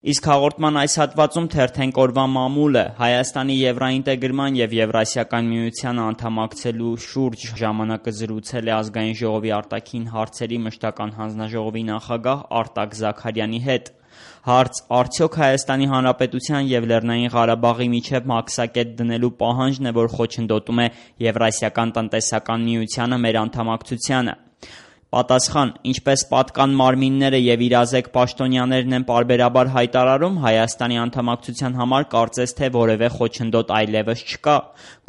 Իսկ հաղորդման այս հատվածում թերթենք օրվա մամուլը, Հայաստանի եվրաինտեգրման եւ Եվրասիական միությանը անդամակցելու շուրջ ժամանակը զրուցել է Ազգային ժողովի արտաքին հարցերի մշտական հանձնաժողովի նախագահ Արտակ Զաքարյանի հետ։ Հարց. արդյոք Հայաստանի Հանրապետության եւ Լեռնային Ղարաբաղի միջև մաքսակետ դնելու պահանջն է, որ խոչընդոտում է Եվրասիական տնտեսական միությանը մեր անդամակցությանը։ Պատասխան. ինչպես պատկան մարմինները եւ իրազեկ պաշտոնյաներն են պարբերաբար հայտարարում, Հայաստանի անդամակցության համար կարծես թե որևէ խոչընդոտ այլևս չկա։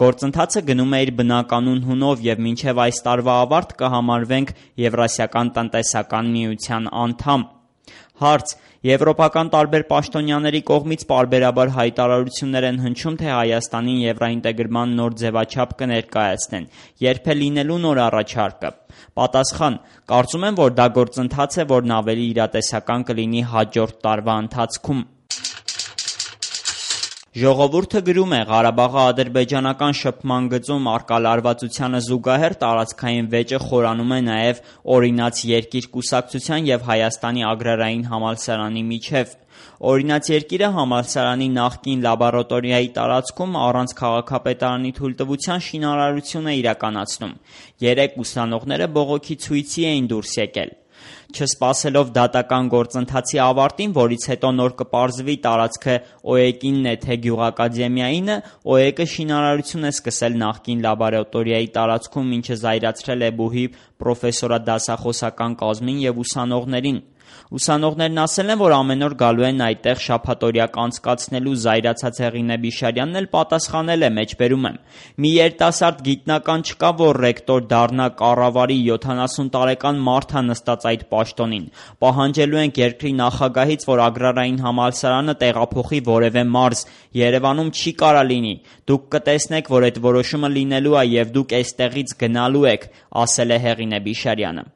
Գործընթացը գնում է իր բնականon հունով եւ մինչեւ այս տարվա ավարտ կհամարվենք Եվրասիական տնտեսական միության անդամ։ Հարց. եվրոպական տարբեր պաշտոնյաների կողմից պարբերաբար հայտարարություններ են հնչում, թե Հայաստանին եվրաինտեգրման նոր ձևաչափ կներկայացնեն։ Երբ է լինելու նոր առաջարկը։ Պատասխան. կարծում եմ, որ դա գործընթաց է, որն ավելի իրատեսական կլինի հաջորդ տարվա ընթացքում։ Ժողովուրդը գրում է. Ղարաբաղի ադրբեջանական շփման գծում առկա լարվածությանը զուգահեռ տարածքային վեճը խորանում է նաև օրինաց երկիր կուսակցության եւ Հայաստանի ագրարային համալսարանի միջև։ Օրինաց երկիրը համալսարանի նախկին լաբորատորիայի տարածքում առանց քաղաքապետարանի թույլտվության շինարարություն է իրականացնում։ 3 ուսանողները բողոքի ցույցի էին դուրս եկել։ Չսպասելով դատական գործընթացի ավարտին, որից հետո նոր կպարզվի տարածքը ՕԵԿ-ինն է թե գյուղակադեմիայինը, ՕԵԿ-ը շինարարություն է սկսել նախկին լաբորատորիայի տարածքում, ինչը զայրացրել է բուհի պրոֆեսորադասախոսական կազմին եւ ուսանողներին։ Ուսանողներն ասել են, որ ամեն օր գալու են այդտեղ շաբաթօրյակ անցկացնելու, զայրացած Հեղինե Բիշարյանն էլ պատասխանել է, մեջբերում եմ. մի երիտասարդ գիտնական չկա, որ ռեկտոր դառնա, կառավարի, 70 տարեկան մարդ է նստած այդ պաշտոնին։ Պահանջելու ենք երկրի նախագահից, որ ագրարային համալսարանը տեղափոխի որևէ մարզ։ Երևանում չի կարա լինի։ Դուք կտեսնեք, որ այդ որոշումը լինելու է եւ դուք էստեղից գնալու եք, ասել է Հեղինե Բիշարյանը։